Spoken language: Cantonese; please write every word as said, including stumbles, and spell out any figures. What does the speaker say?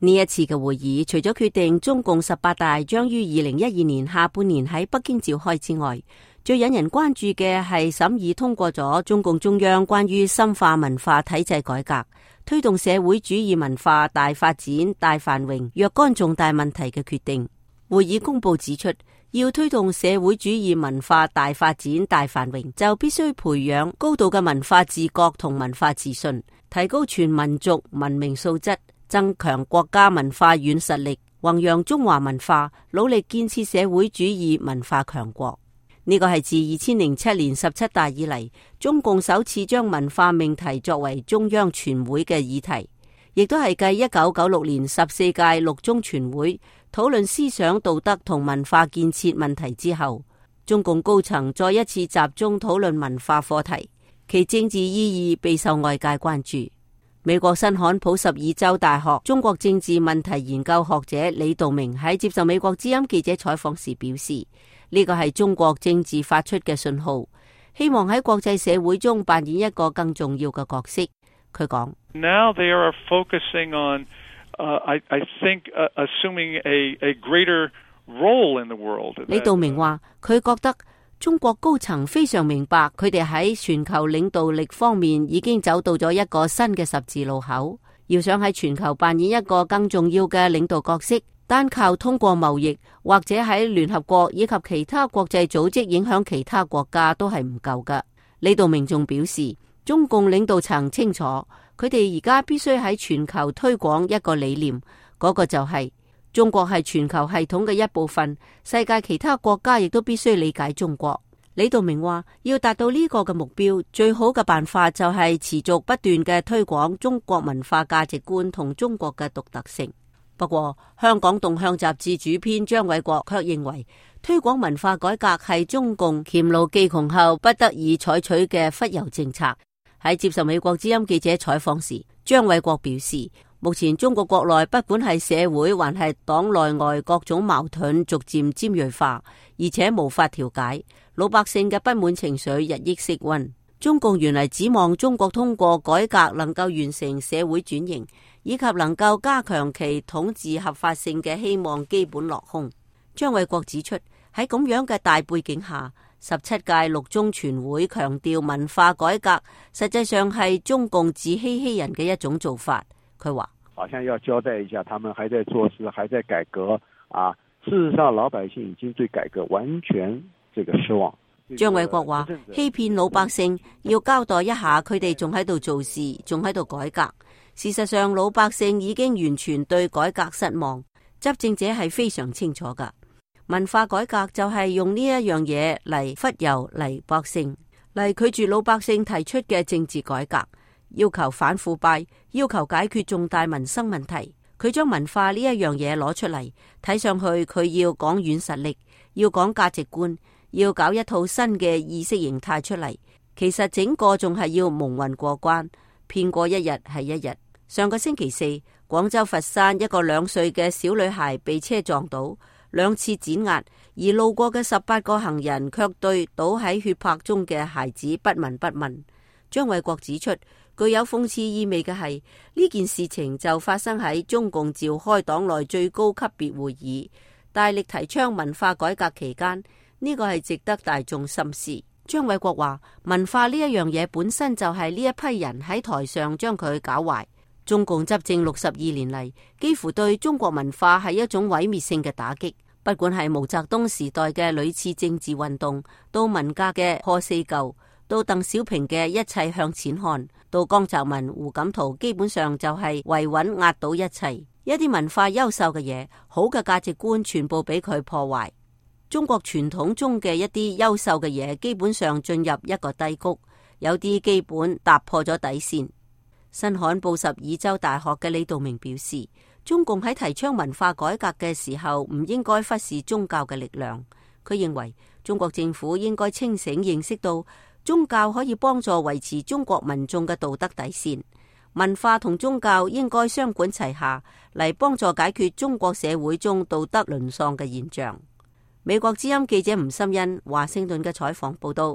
呢一次嘅會議，除咗決定中共十八大將於二零一二年下半年喺北京召開之外，最引人關注嘅係審議通過咗中共中央關於深化文化體制改革、推動社會主義文化大發展、大繁榮若干重大問題嘅決定。會議公報指出，要推動社會主義文化大發展、大繁榮，就必須培養高度嘅文化自覺同文化自信，提高全民族文明素質，增強國家文化軟實力，弘揚中華文化，努力建設社會主義文化強國。呢個係自二千零七年十七大以嚟，中共首次將文化命題作為中央全會嘅議題，亦都係繼一九九六年十四屆六中全會討論思想道德同文化建設問題之後，中共高層再一次集中討論文化課題，其政治意義備受外界關注。美國新罕普什爾州大學中國政治問題研究學者李道明喺接受美國之音記者採訪時表示，呢個係中國政治發出嘅信號，希望喺國際社會中扮演一個更重要嘅角色。佢講 Now they are focusing on, uh, I, I think, uh, assuming a, a greater role in the world. 李道明話，佢覺得中國高層非常明白，佢哋喺全球領導力方面已經走到咗一個新嘅十字路口，要想喺全球扮演一個更重要嘅領導角色，單靠通過貿易或者喺聯合國以及其他國際組織影響其他國家都係唔夠㗎。李道明仲表示，中共領導層清楚，佢哋而家必須喺全球推廣一個理念，嗰個就係中國係全球系統嘅一部分，世界其他國家亦都必須理解中國。李道明話，要達到呢個嘅目標，最好嘅辦法就係持續不斷嘅推廣中國文化價值觀同中國嘅獨特性。不過，香港動向雜誌主編張偉國卻認為，推廣文化改革係中共黔驢技窮後不得已採取嘅忽悠政策。喺接受美國之音記者採訪時，張偉國表示，目前中國國內不管係社會還係黨內外各種矛盾逐漸尖銳化，而且無法調解，老百姓嘅不滿情緒日益升溫。中共原來指望中國通過改革能夠完成社會轉型，以及能夠加強其統治合法性嘅希望基本落空。張偉國指出，喺咁樣嘅大背景下，十七屆六中全會強調文化改革，實際上係中共自欺欺人嘅一種做法。佢話，好像要交代一下，他們還在做事，還在改革啊。事實上，老百姓已經對改革完全這個失望。張偉國話，欺騙老百姓，要交代一下佢哋仲喺度做事，仲喺度改革。事實上，老百姓已經完全對改革失望。執政者係非常清楚噶，文化改革就係用呢一樣嘢嚟忽悠嚟百姓，嚟拒絕老百姓提出嘅政治改革，要求反腐敗，要求解決重大民生問題。佢將文化呢一樣嘢攞出嚟，睇上去佢要講軟實力，要講價值觀，要搞一套新嘅意識形態出嚟。其實整個仲係要蒙混過關，騙過一日係一日。上個星期四，廣州佛山一個兩歲嘅小女孩被車撞倒，兩次碾壓，而路過嘅十八個行人卻對倒喺血泊中嘅孩子不聞不問。張偉國指出，具有諷刺意味嘅係，呢件事情就發生喺中共召開黨內最高級別會議，大力提倡文化改革期間，呢個係值得大眾深思。張偉國話，文化呢一樣嘢本身就係呢一批人喺台上將佢搞壞。中共執政六十二年嚟，幾乎對中國文化係一種毀滅性嘅打擊。不管係毛澤東時代嘅屢次政治運動，到文革嘅破四舊，到鄧小平嘅一切向前看，到江澤民、胡錦濤，基本上就係維穩壓倒一切。一啲文化優秀嘅嘢，好嘅價值觀，全部俾佢破壞。中國傳統中嘅一啲優秀嘅嘢，基本上進入一個低谷，有啲基本踏破咗底線。新罕布什爾州大學嘅李道明表示，中共喺提倡文化改革嘅時候，唔應該忽視宗教嘅力量。佢認為中國政府應該清醒認識到，宗教可以幫助維持中國民眾嘅道德底線，文化同宗教應該雙管齊下，嚟幫助解決中國社會中道德淪喪嘅現象。美國之音記者吳心欣華盛頓嘅採訪報道。